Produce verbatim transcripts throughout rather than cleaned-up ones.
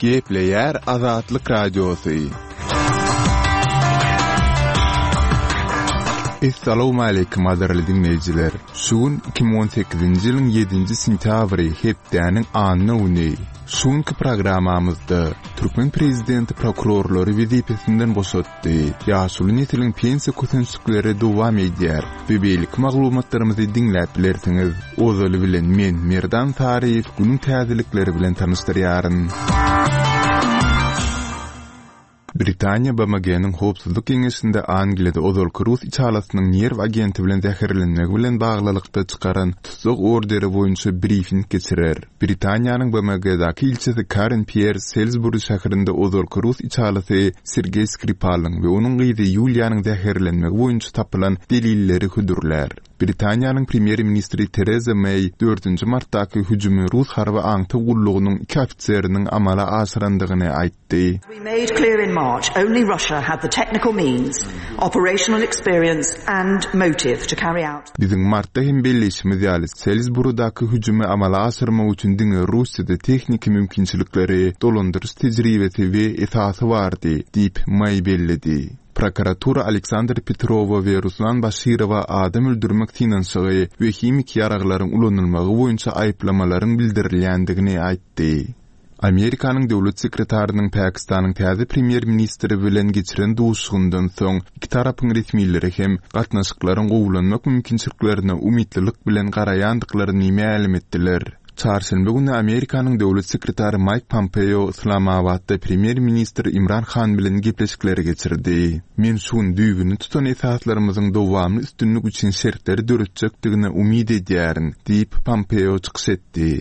Gepleýär Azatlyk Radiosy. Essalawmaleýkim gadyrly diňleýjiler! Şu gün iki müň on sekizinji ýylyň ýedinji sentýabry, hepdäniň anna güni. Şu günki programmamyzda türkmen prezidenti prokurorlary wezipesinden boşatdy, ýaşuly nesliň pensiýa kösençlikleri dowam edýär we beýleki maglumatlarymyzy diňläp bilersiňiz. Ozaly bilen men, Merdan Saryýew, günüň täzelikleri bilen tanyşdyrýaryn. Britaniýa B M G-niň Howpsuzlyk Geňeşinde Angliýada ozalky rus içalasynyň nerw agenti bilen zäherlenmegi bilen baglylykda çykaran tussag orderi boýunça brifing geçirer. Britaniýanyň B M G-daky ilçisi Karen Pier Salisbury şäherinde ozalky rus içalasy Sergeý Skripalyň we onuň gyzy Ýuliýanyň zäherlenmegi boýunça tapylan delilleri hödürlär. Britaniýanyň premýer-ministri Tereza Meý dördünji martdaky hüjümi rus harby aňtaw gullugynyň iki ofiseriniň amala aşyrandygyny aýtdy. We made clear in March only Russia had the technical means, operational experience and motive to carry out. Biziň martda hem belleýşimiz ýaly, Salisburydaky hüjümi amala aşyrmak üçin diňe Russiýada tehniki mümkinçilikleri, dolandyryş tejribesi we esasy bardy, diýip Meý belledi. Prokuratura Aleksandr Petrowa we Ruslan Başirowa adam öldürmek synanyşygy we himiki ýaraglaryň ulanylmagy boýunça aýyplamalaryň bildirilýändigini aýtdy. Amerikanyň döwlet sekretarynyň Pakistanyň täze premýer-ministri bilen geçiren duşuşygyndan soň iki tarapyň resmileri hem gatnaşyklaryň gowulanmak mümkinçiliklerine umytlylyk bilen garaýandyklaryny mälim etdiler. Çarşenbe güni Amerikanyň döwlet sekretary Mike Pompeo Islamabadda premýer-ministr Imran Han bilen gepleşikleri geçirdi. Men şu gün düýbüni tutan esaslarymyzyň dowamly üstünlik üçin şertleri döretjekdigine umyt edýärin, diýip Pompeo çykyş etdi.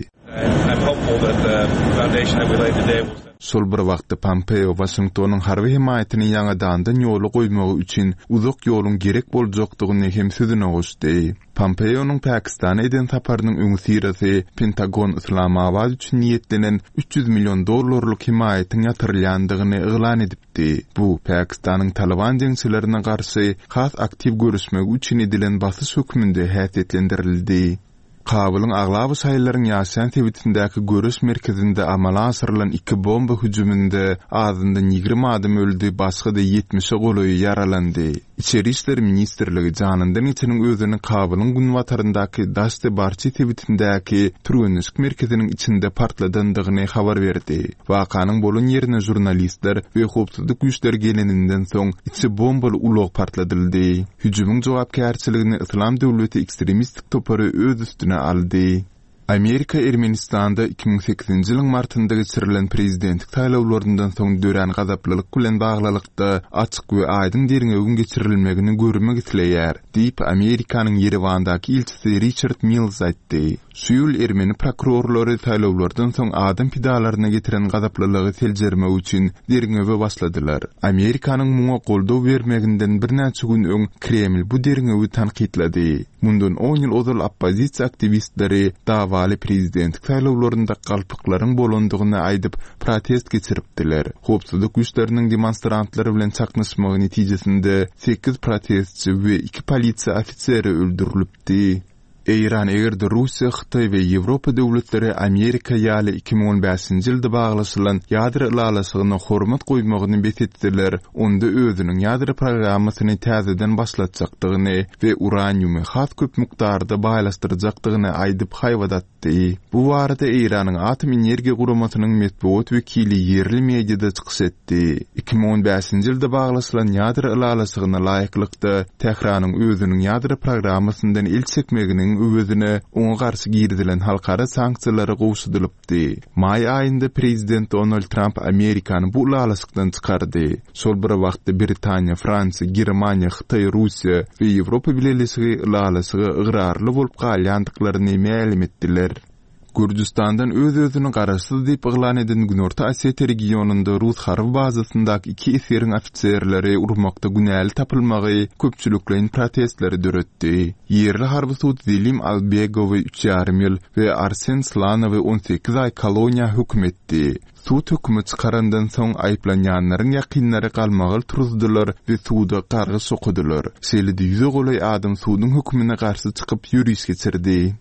Şol bir wagtda Pompeo Waşingtonyň harby hemaýatyny ýaňadandan ýola goýmagy üçin uzak ýoluň gerek boljakdygyny hem sözüne goşdy. Pompeo'nyň Pakistana eden saparynyň öňüsyrasy Pentagon Islamabad üçin niýetlenen üç ýüz million dollarlyk hemaýatyň ýatyrylýandygyny yglan edipdi. Bu Pakistanyň Taliban jeňçilerine garşy has aktiw görüşmegi üçin edilen basyş hökmünde häsiýetlendirildi. Kabulyň aglaba şaýlaryň ýaşaýan sebitindäki görüş merkezinde amala aşyrylan iki bomba hüjüminde azyndan ýigrimi adam öldi, başga-da ýetmişe golaýy ýaralandy. Içeri İşler Ministrligi janyndan geçeniň özüni Kabulyň günbataryndaky Daşty Barçy sebitindäki türgenleşik merkeziniň içinde partladandygyny habar berdi. Wakanyň bolan ýerine jurnalistler we howpsuzlyk güýçleri geleninden soň içi bombaly ulag partladyldy. Hüjümiň jogapkärçiligini Islam döwleti ekstremistik topary öz üstüne aldy. Amerika Ermenistanda iki müň sekizinji ýylyň martynda geçirilen prezidentlik saýlawlaryndan soň dörän gazaplylyk bilen baglylykda açyk we aýdyň derňewiň geçirilmegini görmek isleýär, diýip Amerikanyň Ýerewandaky ilçisi Richard Mills aýtdy. Şu ýyl ermeni prokurorlary saýlawlardan soň adam pidalaryna getiren gazaplylygy seljermek üçin derňewe başladylar. Amerikanyň muňa goldaw bermeginden birnäçe gün öň Kreml bu derňewi tankytlady. Mundan on ýyl ozal oppozisiýa aktiwistleri davaly prezidentlik saýlawlarynda galpyklaryň bolandygyny aýdyp protest geçiripdiler. Howpsuzlyk güýçleriniň demonstrantlary bilen çaknyşmagy netijesinde sekiz protestçi we iki polisiýa ofiseri öldürilipdi. Eýran eger-de Russiýa, Hytaý we Ýewropa döwletleri Amerika ýaly iki müň on bäşinji ýylda baglaşylan ýadro ylalaşygyna hormat goýmagyny bes etdiler, onda özüniň ýadro programmasyny täzeden başlatjakdygyny we uraniumy has köp mukdarda baýlaşdyrjakdygyny aýdyp haýbat atdy. Bu barada Eýranyň Atom energiýa guramasynyň metbugat wekili ýerli mediada çykyş etdi. iki müň on bäşinji ýylda baglaşylan ýadro ylalaşygyna laýyklykda Tähranyň özüniň ýadro programmasyndan el çekmeginiň öwezine oňa garşy girizilen halkara sanksiýalary gowşadylypdy. Maý aýynda prezident Donald Trump Amerikany bu ylalaşykdan çykardy. Şol bir wagtda Britaniýa, Fransiýa, Germaniýa, Hytaý, Russiýa we Ýewropa Bileleşigi ylalaşyga ygrarly bolup galýandyklaryny mälim etdiler. Gürjüstandan öz-özüni garaşsyz diýip yglan eden Günorta Osetiýa regionynda Rus harby bazasyndaky iki esgeriň ofiserleri urmakda günäli tapylmagy köpçülikleýin protestleri döretdi. Ýerli harby sud Zelim Albegowy üç ýarym ýyl we Arsen Slanowy on sekiz aý koloniýa höküm etdi. Sud hökümi çykarandan soň aýyplanýanlaryň ýakynlary galmagal turuzdylar we suda gargyş okudylar. Şeýle-de ýüze golaý adam suduň hökümine garşy çykyp ýöriş geçirdi.